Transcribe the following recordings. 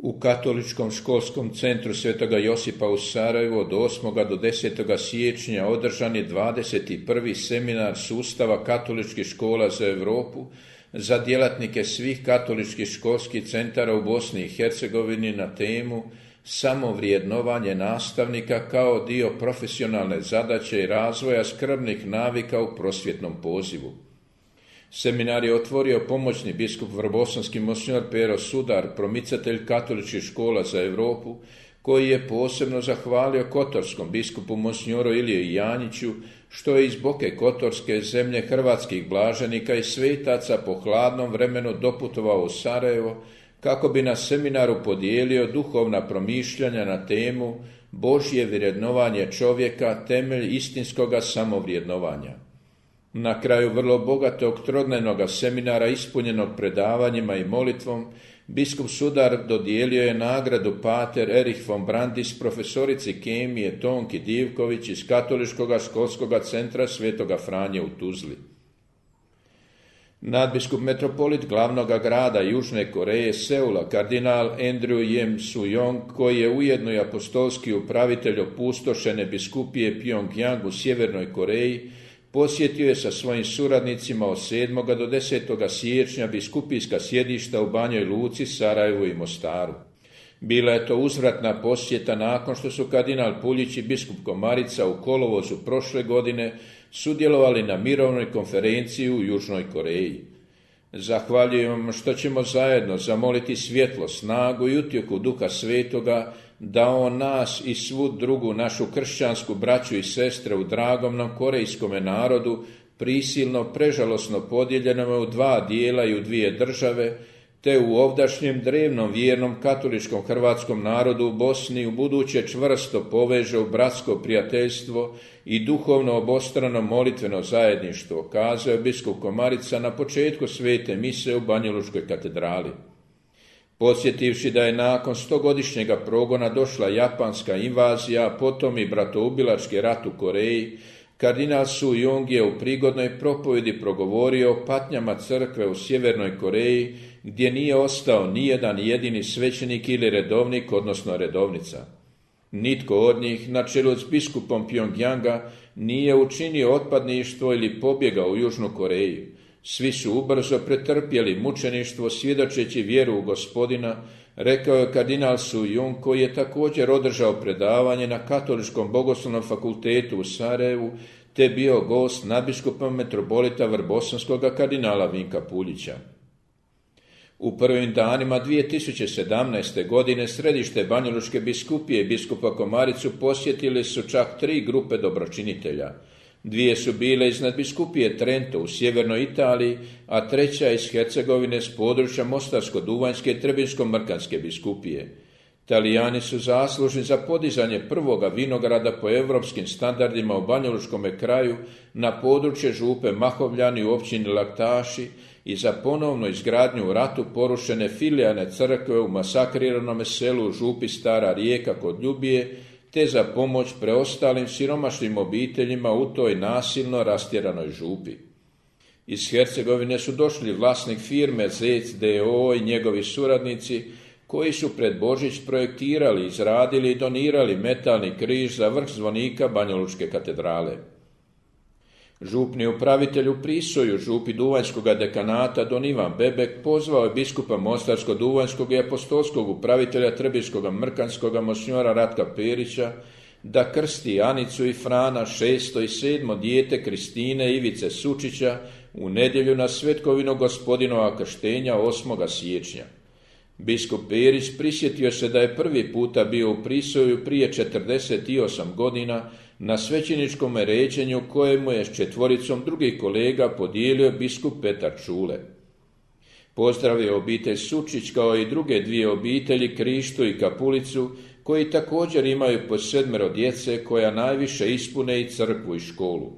U Katoličkom školskom centru Svetoga Josipa u Sarajevu od 8. do 10. siječnja održan je 21. seminar sustava katoličkih škola za Europu za djelatnike svih katoličkih školskih centara u Bosni i Hercegovini na temu samovrijednovanje nastavnika kao dio profesionalne zadaće i razvoja skrbnih navika u prosvjetnom pozivu. Seminar je otvorio pomoćni biskup vrbosanski monsignor Pero Sudar, promicatelj katoličkih škola za Europu, koji je posebno zahvalio kotorskom biskupu monsignoru Iliji Janjiću, što je iz Boke Kotorske, zemlje hrvatskih blaženika i svetaca, po hladnom vremenu doputovao u Sarajevo, kako bi na seminaru podijelio duhovna promišljanja na temu Božje vrednovanje čovjeka, temelj istinskoga samovrijednovanja. Na kraju vrlo bogatog trodnevnog seminara ispunjenog predavanjima i molitvom, biskup Sudar dodijelio je nagradu Pater Erich von Brandis profesorici kemije Tonki Divković iz Katoličkog školskog centra Svetoga Franje u Tuzli. Nadbiskup metropolit glavnog grada Južne Koreje Seula, kardinal Andrew Jem Soo-yong, koji je ujedno i apostolski upravitelj opustošene biskupije Pyongyang u Sjevernoj Koreji, posjetio je sa svojim suradnicima od 7. do 10. siječnja biskupijska sjedišta u Banjoj Luci, Sarajevu i Mostaru. Bila je to uzvratna posjeta nakon što su kardinal Puljić i biskup Komarica u kolovozu prošle godine sudjelovali na mirovnoj konferenciji u Južnoj Koreji. Zahvaljujem što ćemo zajedno zamoliti svjetlo, snagu i utjehu Duha Svetoga da on nas i svu drugu našu kršćansku braću i sestre u dragom nam korejskome narodu, prisilno, prežalosno podijeljenome u dva dijela i u dvije države, te u ovdašnjem drevnom vjernom katoličkom hrvatskom narodu u Bosni u buduće čvrsto poveže u bratsko prijateljstvo i duhovno obostrano molitveno zajedništvo, kazao je biskup Komarica na početku svete mise u Banjalučkoj katedrali. Podsjetivši da je nakon 100-godišnjega progona došla japanska invazija, a potom i bratoubilački rat u Koreji, kardinal Soo-yong je u prigodnoj propovjedi progovorio o patnjama crkve u Sjevernoj Koreji, gdje nije ostao nijedan jedini svećenik ili redovnik, odnosno redovnica. Nitko od njih, na čelu s biskupom Pyongyanga, nije učinio otpadništvo ili pobjegao u Južnu Koreju. Svi su ubrzo pretrpjeli mučeništvo svjedočeći vjeru u Gospodina, rekao je kardinal Soo-yong, koji je također održao predavanje na Katoličkom bogoslovnom fakultetu u Sarajevu, te bio gost nadbiskupa metropolita vrbosanskog kardinala Vinka Puljića. U prvim danima 2017. godine središte Banjalučke biskupije i biskupa Komaricu posjetili su čak 3 grupe dobročinitelja. 2 su bile iz nadbiskupije Trento u sjevernoj Italiji, a 3. iz Hercegovine s područja Mostarsko-Duvanjske i Trebinsko-Mrkanske biskupije. Talijani su zaslužni za podizanje prvoga vinograda po europskim standardima u Banjalučkome kraju na područje župe Mahovljani u općini Laktaši i za ponovnu izgradnju u ratu porušene filijalne crkve u masakriranom selu u župi Stara Rijeka kod Ljubije, te za pomoć preostalim siromašnim obiteljima u toj nasilno rastjeranoj župi. Iz Hercegovine su došli vlasnik firme Zec d.o.o. i njegovi suradnici, koji su pred Božić projektirali, izradili i donirali metalni križ za vrh zvonika Banjalučke katedrale. Župni upravitelj u Prisoju, župi Duvanjskog dekanata Don Ivan Bebek, pozvao je biskupa Mostarsko-Duvanjskog i apostolskog upravitelja Trebinskog Mrkanskog monsignora Ratka Perića da krsti Anicu i Frana, 6. i 7. dijete Kristine Ivice Sučića u nedjelju na svetkovinu Gospodinova krštenja 8. siječnja. Biskup Perić prisjetio se da je prvi puta bio u Prisoju prije 48 godina na svećeničkom ređenju kojemu je s 4 drugih kolega podijelio biskup Petar Čule. Pozdravio obitelj Sučić kao i druge 2 obitelji, Krištu i Kapulicu, koji također imaju po 7 djece koja najviše ispune i crkvu i školu.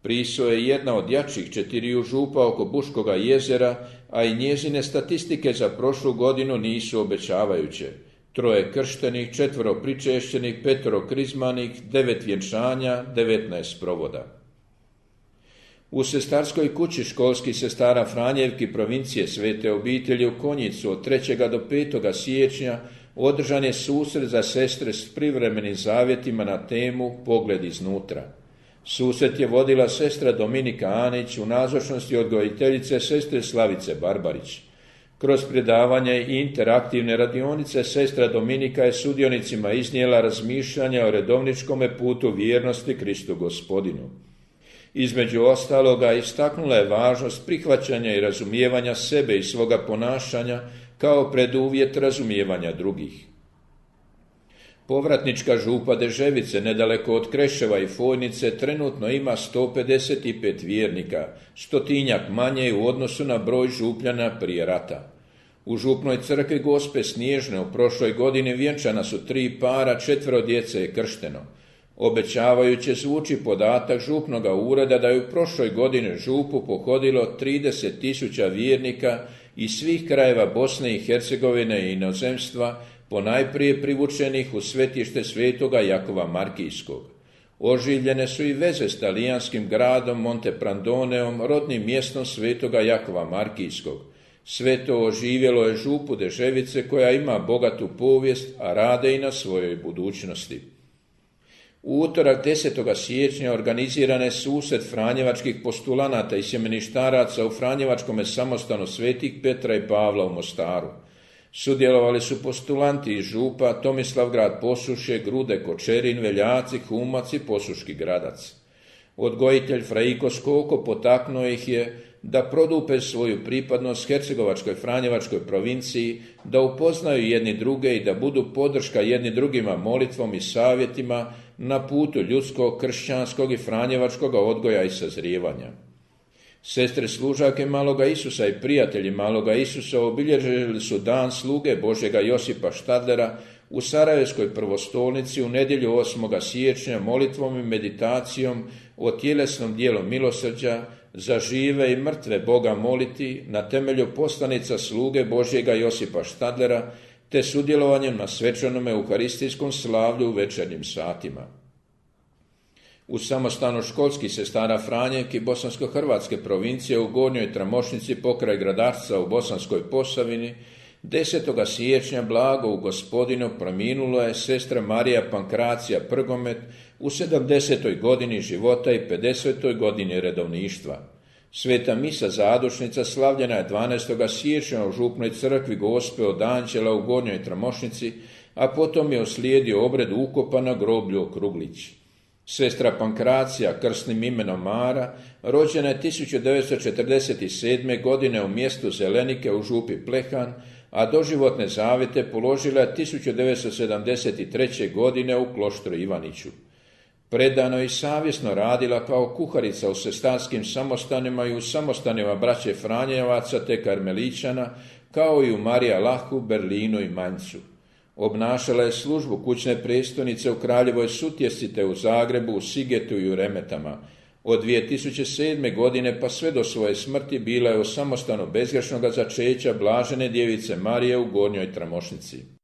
Priso je jedna od jačih 4 župa oko Buškoga jezera, a i njezine statistike za prošlu godinu nisu obećavajuće. 3 krštenih, 4 pričešćenih, 5 krizmanih, 9 vjenčanja, 19 provoda. U sestarskoj kući školskih sestara Franjevki provincije Svete obitelji u Konjicu od 3. do 5. siječnja održan je susret za sestre s privremenim zavjetima na temu Pogled iznutra. Susret je vodila sestra Dominika Anić u nazočnosti odgojiteljice sestre Slavice Barbarić. Kroz predavanje i interaktivne radionice sestra Dominika je sudionicima iznijela razmišljanja o redovničkome putu vjernosti Kristu Gospodinu. Između ostaloga istaknula je važnost prihvaćanja i razumijevanja sebe i svoga ponašanja kao preduvjet razumijevanja drugih. Povratnička župa Deževice, nedaleko od Kreševa i Fojnice, trenutno ima 155 vjernika, 100-tinjak manje u odnosu na broj župljana prije rata. U župnoj crkvi Gospe Snježne u prošloj godini vjenčana su 3 para, 4 djece je kršteno. Obećavajuće zvuči podatak župnoga ureda da je u prošloj godini župu pohodilo 30.000 vjernika iz svih krajeva Bosne i Hercegovine i inozemstva, ponajprije privučenih u svetište svetoga Jakova Markijskog. Oživljene su i veze s talijanskim gradom Monteprandoneom, rodnim mjestom svetoga Jakova Markijskog. Sve to oživjelo je župu Deževice koja ima bogatu povijest, a rade i na svojoj budućnosti. U utorak 10. siječnja organiziran je susret franjevačkih postulanata i sjemeništaraca u Franjevačkome samostanu Svetih Petra i Pavla u Mostaru. Sudjelovali su postulanti iz župa Tomislavgrad Posušje, Grude Kočerin, Veljaci, Humac i Posuški Gradac. Odgojitelj Frajko Skoko potaknuo ih je da produpe svoju pripadnost Hercegovačkoj Franjevačkoj provinciji, da upoznaju jedni druge i da budu podrška jedni drugima molitvom i savjetima na putu ljudskog, kršćanskog i franjevačkog odgoja i sazrijevanja. Sestre služake Maloga Isusa i prijatelji Maloga Isusa obilježili su dan sluge Božjega Josipa Štadlera u Sarajevskoj prvostolnici u nedjelju 8. siječnja molitvom i meditacijom o tjelesnom dijelu milosrđa za žive i mrtve Boga moliti na temelju poslanica sluge Božjega Josipa Štadlera te sudjelovanjem na svečanome euharistijskom slavlju u večernjim satima. U samostanu školskih sestara Franjevki Bosansko-hrvatske provincije u Gornjoj Tramošnici pokraj Gradarca u Bosanskoj Posavini 10. siječnja blago u Gospodinu preminula je sestra Marija Pankracija Prgomet u 70. godini života i 50. godini redovništva. Sveta misa zadušnica slavljena je 12. siječnja u župnoj crkvi Gospe od Anđela u Gornjoj Tramošnici, a potom je uslijedio obred ukopa na groblju Okruglić. Sestra Pankracija, krsnim imenom Mara, rođena je 1947. godine u mjestu Zelenike u župi Plehan, a doživotne zavjete položila je 1973. godine u kloštru Ivaniću. Predano i savjesno radila kao kuharica u sestarskim samostanima i u samostanima braće Franjevaca te Karmeličana, kao i u Marija Lahu, Berlinu i Manjcu. Obnašala je službu kućne predstojnice u Kraljevoj Sutjesci te u Zagrebu, u Sigetu i u Remetama. Od 2007. godine pa sve do svoje smrti bila je u samostanu bezgrešnoga začeća Blažene djevice Marije u Gornjoj Tramošnici.